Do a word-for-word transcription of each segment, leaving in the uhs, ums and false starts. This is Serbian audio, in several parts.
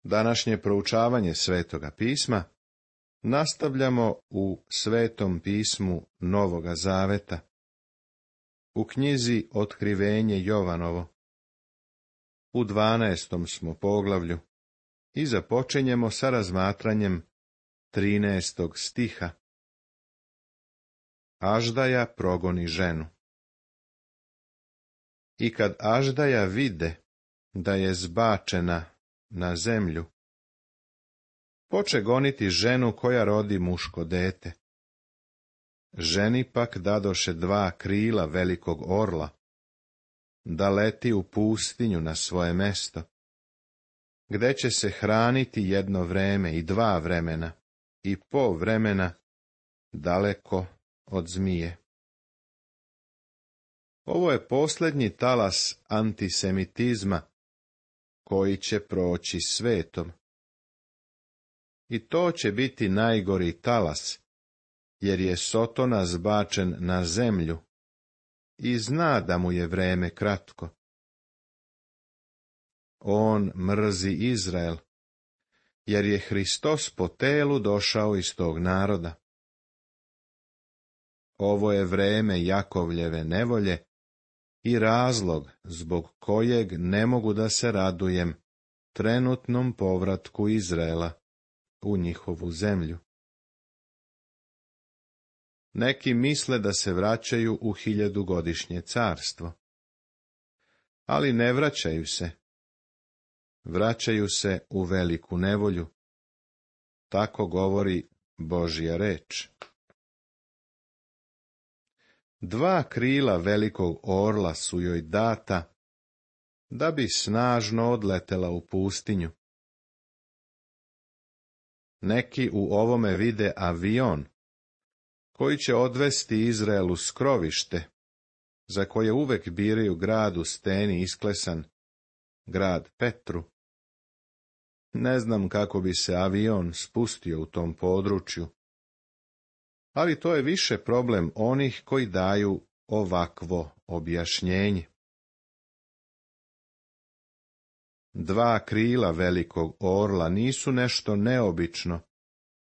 Današnje proučavanje Svetoga pisma nastavljamo u Svetom pismu Novoga Zaveta, u knjizi Otkrivenje Jovanovo. U dvanaestom smo poglavlju i započinjemo sa razmatranjem trinaestog stiha. Aždaja progoni ženu. I kad Aždaja vide da je zbačena na zemlju, poče goniti ženu koja rodi muško dete. Ženi pak dadoše dva krila velikog orla, da leti u pustinju na svoje mesto, gde će se hraniti jedno vreme i dva vremena, i po vremena daleko od zmije. Ovo je posljednji talas antisemitizma koji će proći svetom. I to će biti najgori talas, jer je Sotona zbačen na zemlju i zna da mu je vreme kratko. On mrzi Izrael, jer je Hristos po telu došao iz tog naroda. Ovo je vreme Jakovljeve nevolje i razlog zbog kojeg ne mogu da se radujem trenutnom povratku Izraela u njihovu zemlju. Neki misle da se vraćaju u hiljadugodišnje carstvo, ali ne vraćaju se. Vraćaju se u veliku nevolju. Tako govori Božja reč. Dva krila velikog orla su joj data, da bi snažno odletela u pustinju. Neki u ovome vide avion, koji će odvesti Izrael u skrovište, za koje uvek biraju grad u steni isklesan, grad Petru. Ne znam kako bi se avion spustio u tom području, ali to je više problem onih koji daju ovakvo objašnjenje. Dva krila velikog orla nisu nešto neobično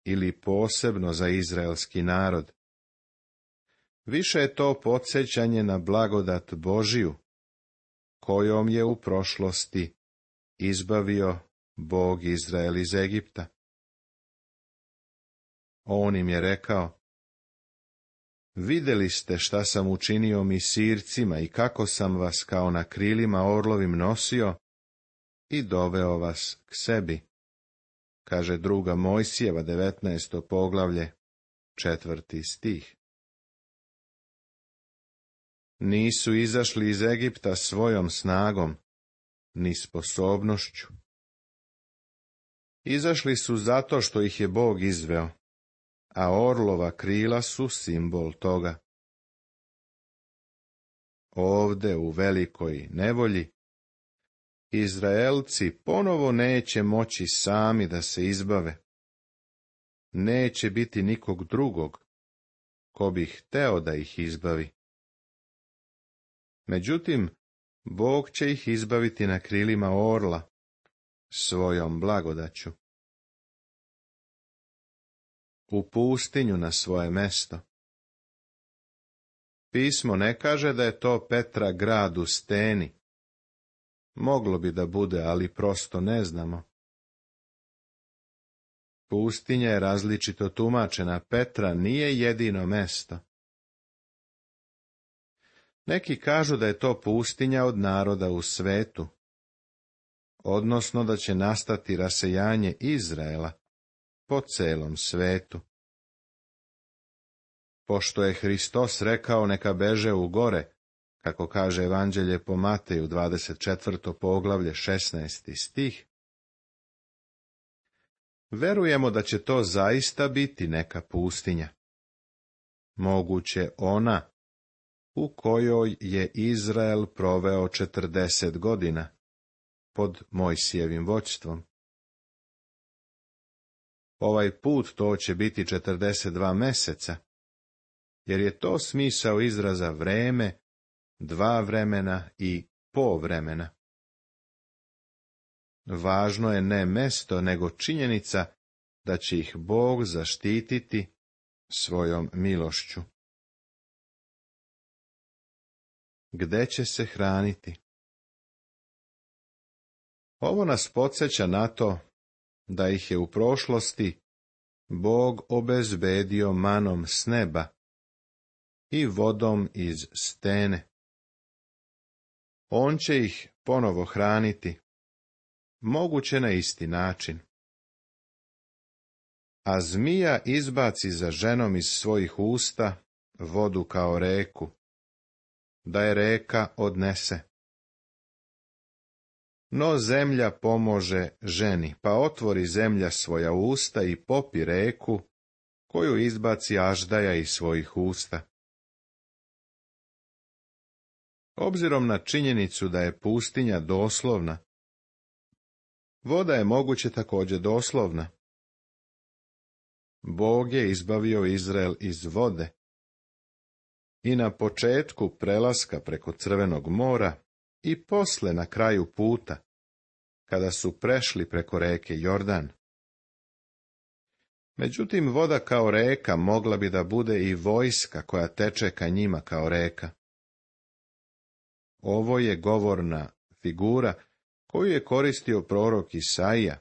ili posebno za izraelski narod. Više je to podsjećanje na blagodat Božiju, kojom je u prošlosti izbavio Bog Izrael iz Egipta. On im je rekao: vidjeli ste šta sam učinio Misircima i kako sam vas kao na krilima orlovim nosio i doveo vas k sebi, kaže druga Mojsijeva devetnaesto poglavlje, četvrti stih. Nisu izašli iz Egipta svojom snagom, ni sposobnošću. Izašli su zato što ih je Bog izveo, a orlova krila su simbol toga. Ovde u velikoj nevolji Izraelci ponovo neće moći sami da se izbave. Neće biti nikog drugog ko bi hteo da ih izbavi. Međutim, Bog će ih izbaviti na krilima orla, svojom blagodaću. U pustinju na svoje mesto. Pismo ne kaže da je to Petra grad u steni. Moglo bi da bude, ali prosto ne znamo. Pustinja je različito tumačena, Petra nije jedino mesto. Neki kažu da je to pustinja od naroda u svetu, odnosno da će nastati rasejanje Izraela po celom svetu. Pošto je Hristos rekao neka beže u gore, kako kaže Evanđelje po Mateju dvadeset četvrto poglavlje šesnaesti stih, verujemo da će to zaista biti neka pustinja. Moguće ona u kojoj je Izrael proveo četrdeset godina pod Mojsijevim vođstvom. Ovaj put to će biti četrdeset dva meseca, jer je to smisao izraza vreme, dva vremena i po vremena. važno je ne mesto, nego činjenica da će ih Bog zaštititi svojom milošću. Gde će se hraniti? Ovo nas podsjeća na to da ih je u prošlosti Bog obezbedio manom s neba i vodom iz stene. On će ih ponovo hraniti, moguće na isti način. A zmija izbaci za ženom iz svojih usta vodu kao reku, da je reka odnese. No zemlja pomože ženi, pa otvori zemlja svoja usta i popi reku, koju izbaci aždaja iz svojih usta. Obzirom na činjenicu da je pustinja doslovna, voda je moguće također doslovna. Bog je izbavio Izrael iz vode i na početku prelaska preko Crvenog mora i posle na kraju puta, kada su prešli preko reke Jordan. Međutim, voda kao reka mogla bi da bude i vojska koja teče ka njima kao reka. Ovo je govorna figura koju je koristio prorok Isaija.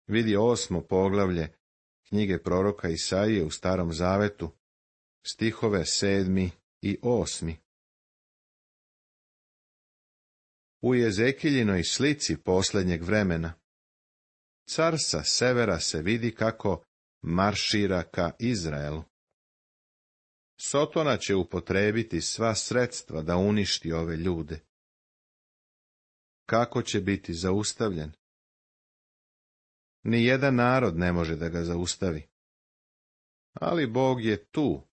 Vidi osmo poglavlje knjige proroka Isaije u Starom zavetu, stihove sedmi i osmi. U Jezekiljinoj slici posljednjeg vremena, car sa severa se vidi kako maršira ka Izraelu. Sotona će upotrebiti sva sredstva da uništi ove ljude. Kako će biti zaustavljen? Nijedan narod ne može da ga zaustavi. Ali Bog je tu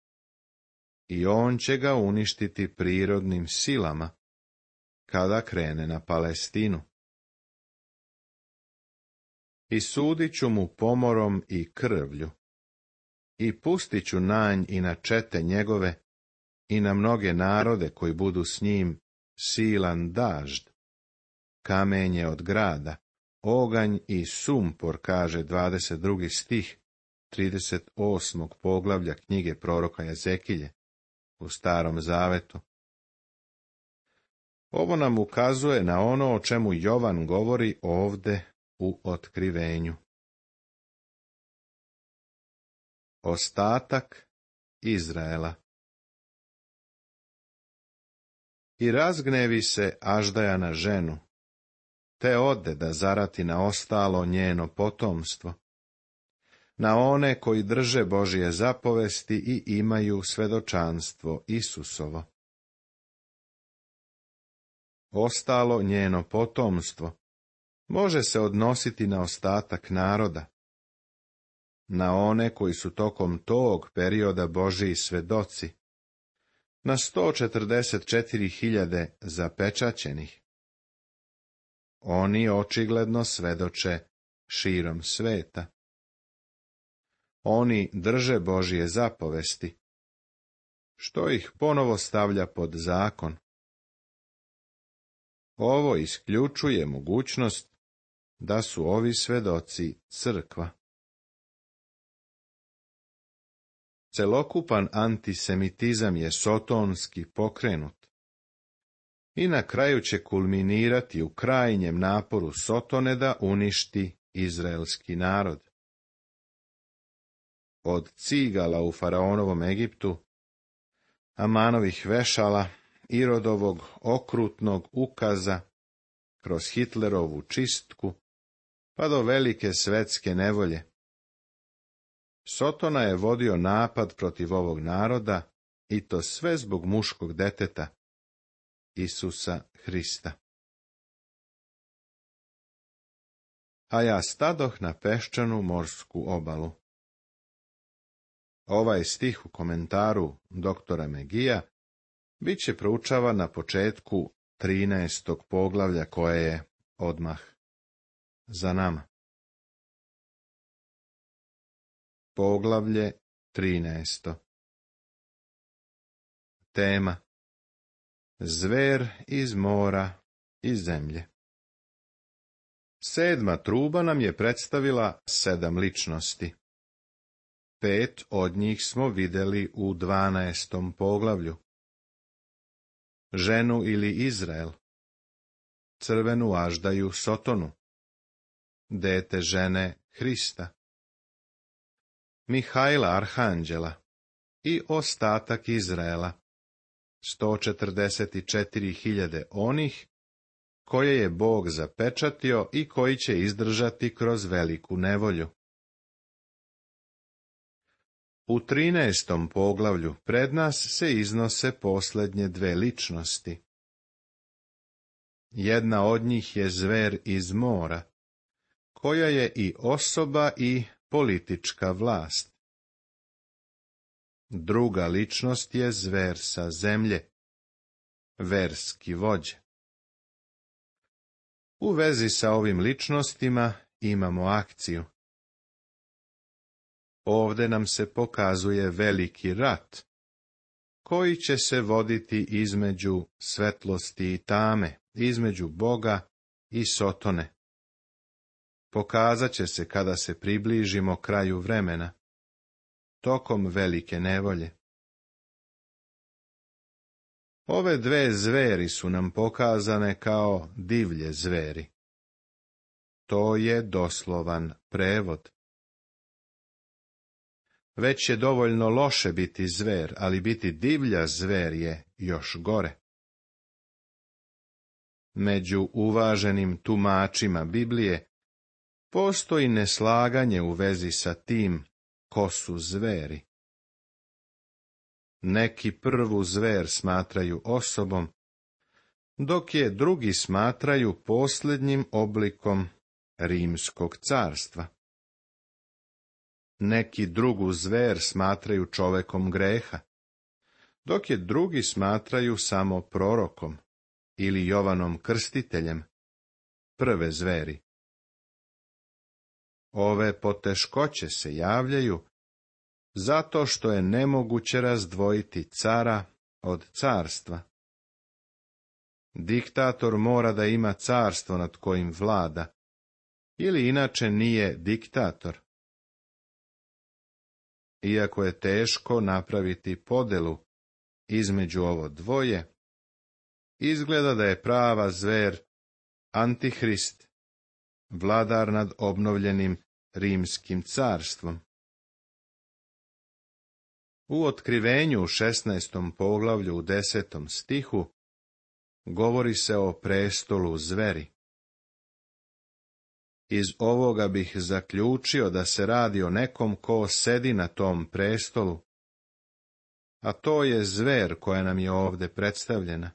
i on će ga uništiti prirodnim silama kada krene na Palestinu. I sudit ću mu pomorom i krvlju, i pustit ću na nj i na čete njegove, i na mnoge narode koji budu s njim silan dažd, kamenje od grada, oganj i sumpor, kaže dvadeset drugi stih, trideset osmog poglavlja knjige proroka Jezekilje u Starom zavetu. Ovo nam ukazuje na ono o čemu Jovan govori ovde u otkrivenju. Ostatak Izraela. I razgnevi se Aždaja na ženu, te ode da zarati na ostalo njeno potomstvo, na one koji drže Božje zapovesti i imaju svedočanstvo Isusovo. Ostalo njeno potomstvo može se odnositi na ostatak naroda, na one koji su tokom tog perioda Božji svedoci, na sto četrdeset četiri hiljade zapečaćenih. Oni očigledno svedoče širom sveta. Oni drže Božje zapovesti, što ih ponovo stavlja pod zakon. Ovo isključuje mogućnost da su ovi svedoci crkva. Celokupan antisemitizam je sotonski pokrenut i na kraju će kulminirati u krajnjem naporu Sotone da uništi izraelski narod. Od cigala u faraonovom Egiptu, Amanovih vešala, Irodovog okrutnog ukaza, kroz Hitlerovu čistku, pa do velike svetske nevolje. Sotona je vodio napad protiv ovog naroda, i to sve zbog muškog deteta, Isusa Hrista. A ja stadoh na peščanu morsku obalu. Ovaj stih u komentaru doktora Megija bit će proučavan na početku trinaestog poglavlja koje je odmah za nama. Poglavlje trinaesto. Tema: Zver iz mora i zemlje. Sedma truba nam je predstavila sedam ličnosti. Pet od njih smo vidjeli u dvanaestom poglavlju. Ženu ili Izrael, crvenu aždaju Sotonu, dete žene Hrista, Mihajla arhanđela i ostatak Izraela, sto četrdeset četiri hiljade onih koje je Bog zapečatio i koji će izdržati kroz veliku nevolju. U trinaestom poglavlju pred nas se iznose posljednje dve ličnosti. Jedna od njih je zver iz mora, koja je i osoba i politička vlast. Druga ličnost je zver sa zemlje, verski vođa. U vezi sa ovim ličnostima imamo akciju. Ovdje nam se pokazuje veliki rat, koji će se voditi između svetlosti i tame, između Boga i Sotone. Pokazat će se kada se približimo kraju vremena, tokom velike nevolje. Ove dve zveri su nam pokazane kao divlje zveri. To je doslovan prevod. Već je dovoljno loše biti zver, ali biti divlja zver je još gore. Među uvaženim tumačima Biblije postoji neslaganje u vezi sa tim ko su zveri. Neki prvu zver smatraju osobom, dok je drugi smatraju posljednjim oblikom Rimskog carstva. Neki drugu zver smatraju čovekom greha, dok je drugi smatraju samo prorokom ili Jovanom Krstiteljem, prve zveri. Ove poteškoće se javljaju zato što je nemoguće razdvojiti cara od carstva. Diktator mora da ima carstvo nad kojim vlada, ili inače nije diktator. Iako je teško napraviti podelu između ovo dvoje, izgleda da je prava zver Antihrist, vladar nad obnovljenim Rimskim carstvom. U Otkrivenju u šesnaestom poglavlju u desetom stihu govori se o prestolu zveri. Iz ovoga bih zaključio da se radi o nekom ko sedi na tom prestolu, a to je zver koja nam je ovdje predstavljena.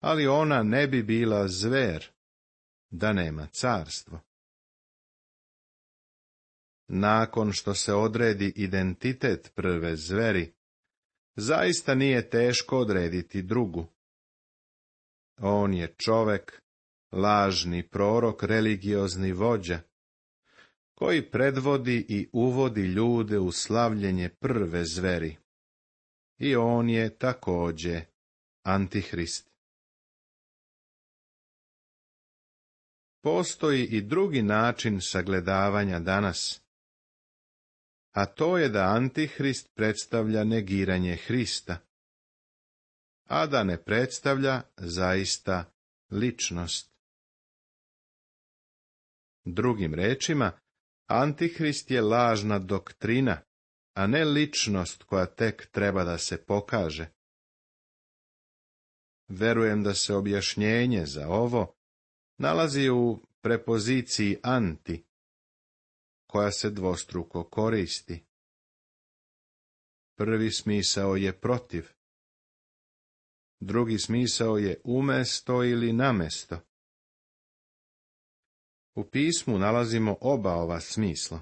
Ali ona ne bi bila zver da nema carstvo. Nakon što se odredi identitet prve zveri, zaista nije teško odrediti drugu. On je čovek, lažni prorok, religiozni vođa, koji predvodi i uvodi ljude u slavljenje prve zveri. I on je također Antihrist. Postoji i drugi način sagledavanja danas, a to je da Antihrist predstavlja negiranje Hrista, a da ne predstavlja zaista ličnost. Drugim rečima, Antihrist je lažna doktrina, a ne ličnost koja tek treba da se pokaže. Verujem da se objašnjenje za ovo nalazi u prepoziciji anti, koja se dvostruko koristi. Prvi smisao je protiv, drugi smisao je umesto ili namesto. U pismu nalazimo oba ova smisla.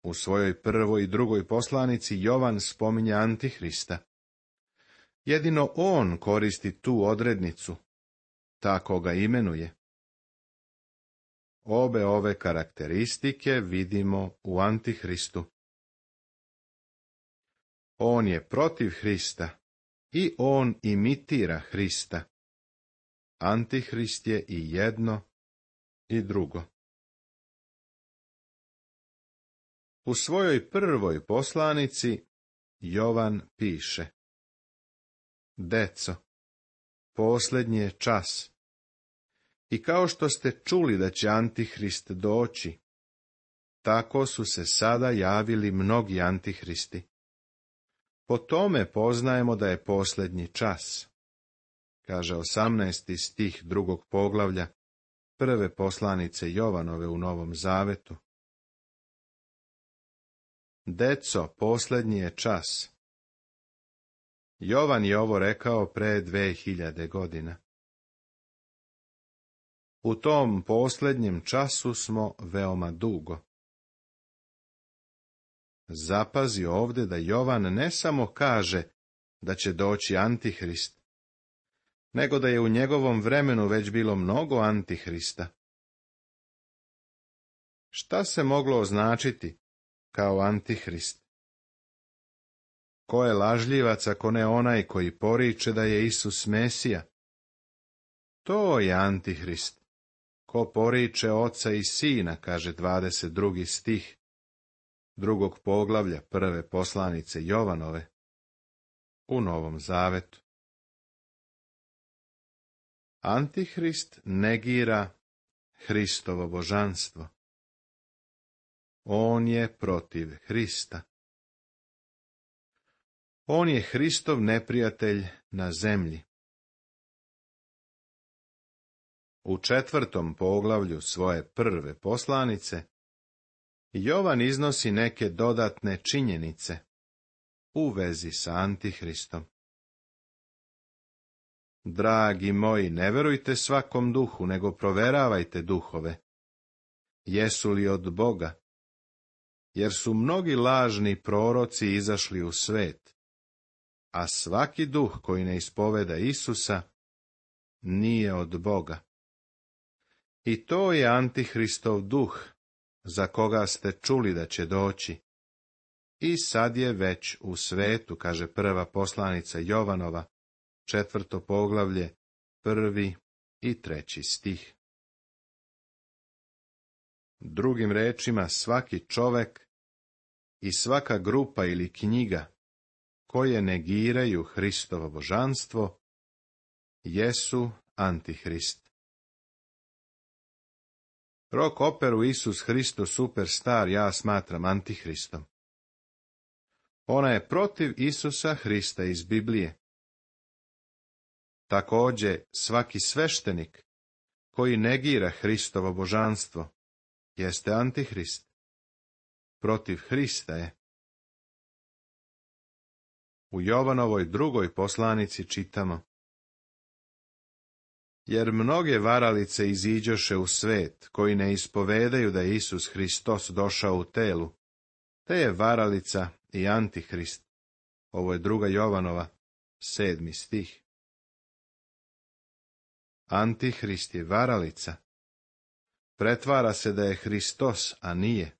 U svojoj prvoj i drugoj poslanici Jovan spominje Antihrista. Jedino on koristi tu odrednicu, tako ga imenuje. Obe ove karakteristike vidimo u Antihristu. On je protiv Hrista i on imitira Hrista. Antihrist je i jedno i drugo. U svojoj prvoj poslanici Jovan piše: Deco, posljednji je čas. I kao što ste čuli da će Antihrist doći, tako su se sada javili mnogi antihristi. Po tome poznajemo da je posljednji čas, kaže osamnaesti stih drugog poglavlja prve poslanice Jovanove u Novom Zavetu. Deco, posljednji je čas. Jovan je ovo rekao pre dve hiljade godina. U tom posljednjem času smo veoma dugo. Zapazi ovdje da Jovan ne samo kaže da će doći Antihrist, nego da je u njegovom vremenu već bilo mnogo Antihrista. Šta se moglo označiti kao Antihrist? Ko je lažljivac ako ne onaj koji poriče da je Isus Mesija? To je Antihrist. Ko poriče Oca i Sina, kaže dvadeset drugi stih drugog poglavlja prve poslanice Jovanove u Novom Zavetu. Antihrist negira Hristovo božanstvo. On je protiv Hrista. On je Hristov neprijatelj na zemlji. U četvrtom poglavlju svoje prve poslanice Jovan iznosi neke dodatne činjenice u vezi sa Antihristom. Dragi moji, ne verujte svakom duhu, nego proveravajte duhove. Jesu li od Boga? Jer su mnogi lažni proroci izašli u svet, a svaki duh koji ne ispoveda Isusa nije od Boga. I to je Antihristov duh, za koga ste čuli da će doći. I sad je već u svetu, kaže prva poslanica Jovanova, četvrto poglavlje, prvi i treći stih. Drugim rečima, svaki čovek i svaka grupa ili knjiga koje negiraju Hristovo božanstvo jesu Antihrist. Rock operu Isus Hristo Superstar ja smatram Antihristom. Ona je protiv Isusa Hrista iz Biblije. Također, svaki sveštenik koji negira Hristovo božanstvo jeste Antihrist. Protiv Hrista je. U Jovanovoj drugoj poslanici čitamo: Jer mnoge varalice iziđoše u svet, koji ne ispovedaju da je Isus Hristos došao u telu, te je varalica i Antihrist. Ovo je druga Jovanova, sedmi stih. Antihrist je varalica. Pretvara se da je Hristos, a nije.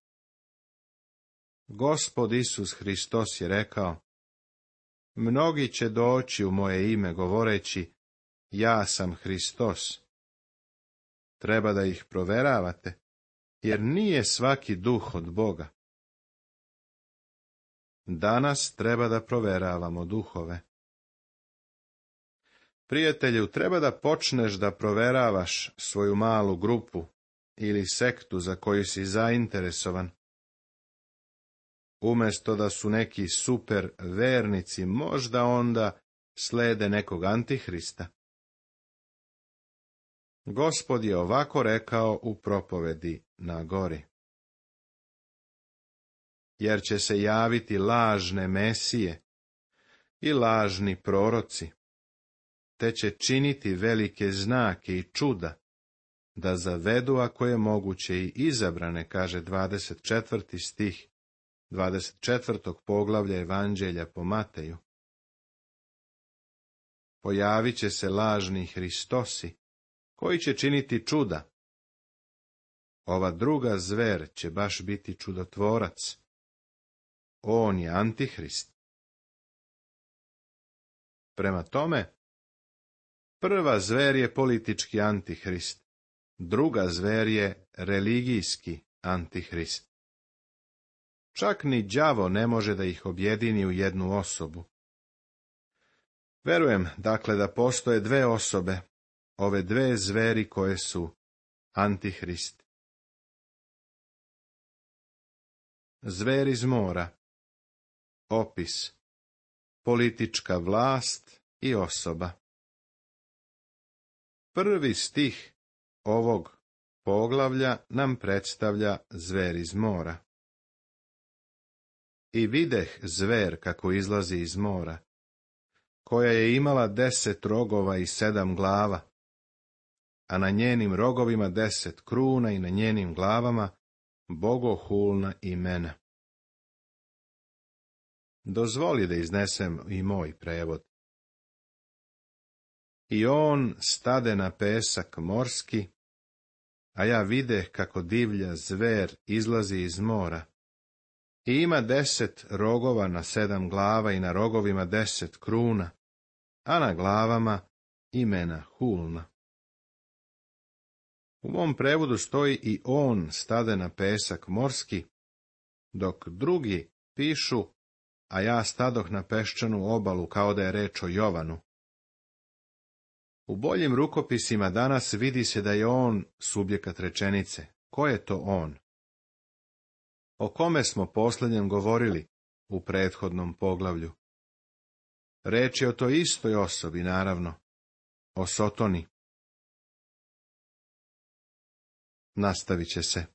Gospod Isus Hristos je rekao: Mnogi će doći u moje ime govoreći: Ja sam Hristos. Treba da ih proveravate, jer nije svaki duh od Boga. Danas treba da proveravamo duhove. Prijatelju, treba da počneš da proveravaš svoju malu grupu ili sektu za koju si zainteresovan. Umesto da su neki super vernici, možda onda slede nekog Antihrista. Gospod je ovako rekao u propovedi na gori: Jer će se javiti lažne mesije i lažni proroci, te će činiti velike znake i čuda, da zavedu, ako je moguće, i izabrane, kaže dvadeset četvrti stih dvadeset četvrtog poglavlja Evanđelja po Mateju. Pojavit će se lažni Hristosi, koji će činiti čuda. Ova druga zver će baš biti čudotvorac. On je Antihrist. Prema tome, Prva zver je politički antihrist, druga zver je religijski antihrist. Čak ni đavo ne može da ih objedini u jednu osobu. Verujem, dakle, da postoje dve osobe, ove dve zveri koje su antihrist. Zver iz mora. Opis. Politička vlast i osoba. Prvi stih ovog poglavlja nam predstavlja zver iz mora. I videh zver kako izlazi iz mora, koja je imala deset rogova i sedam glava, a na njenim rogovima deset kruna i na njenim glavama bogohulna imena. Dozvoli da iznesem i moj prevod. I on stade na pesak morski, a ja videh kako divlja zver izlazi iz mora. I ima deset rogova na sedam glava i na rogovima deset kruna, a na glavama imena hulna. U mom prevodu stoji i on stade na pesak morski, dok drugi pišu, a ja stadoh na peščanu obalu, kao da je reč o Jovanu. U boljim rukopisima danas vidi se da je on subjekat rečenice. Ko je to on? O kome smo posljednjem govorili u prethodnom poglavlju? Reč je o toj istoj osobi, naravno, o Sotoni. Nastavit će se.